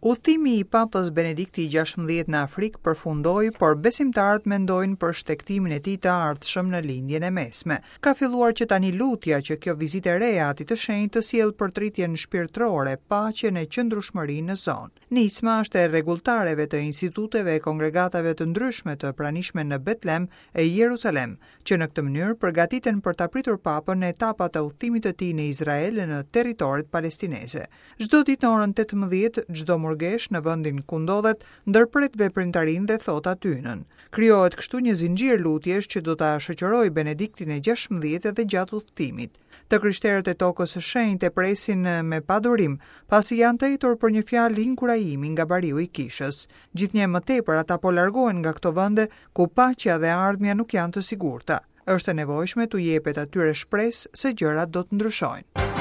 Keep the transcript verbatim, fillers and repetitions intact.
Udhëtimi i Papës Benedikti i gjashtëmbëdhjetë në Afrikë përfundoi, por besimtarët mendojnë për shtegtimin e tij të ardhshëm në Lindjen e Mesme. Ka filluar që tani lutja që kjo vizitë e re e Atit të Shenjtë të sjellë përtritjen shpirtërore, paqen e qëndrueshmërinë në zonë. Nisma është e rregulltareve të instituteve e kongregatave të ndryshme të pranishme në Betlem e Jerusalem, që në këtë mënyrë përgatiten për ta pritur Papën në etapat e udhëtimit të tij në Izrael e në territoret palestineze. Çdo ditë në orën tetëmbëdhjetë, çdo murgesh në vendin ku ndodhet ndërpret veprimtarinë dhe thot atynën. Krijohet kështu një zinxhir lutjesh që do ta shoqërojë Benediktin e gjashtëmbëdhjetë edhe gjatë udhëtimit. Të krishterët e tokës së shenjtë e presin me padurim, pasi janë të etur për një fjalë inkurajimi nga bariu i kishës. Gjithnjë më tepër ata po largohen nga këto vende ku paqja dhe ardhmja nuk janë të sigurta. Është e nevojshme t'u jepet atyre shpresë se gjërat do të ndryshojnë.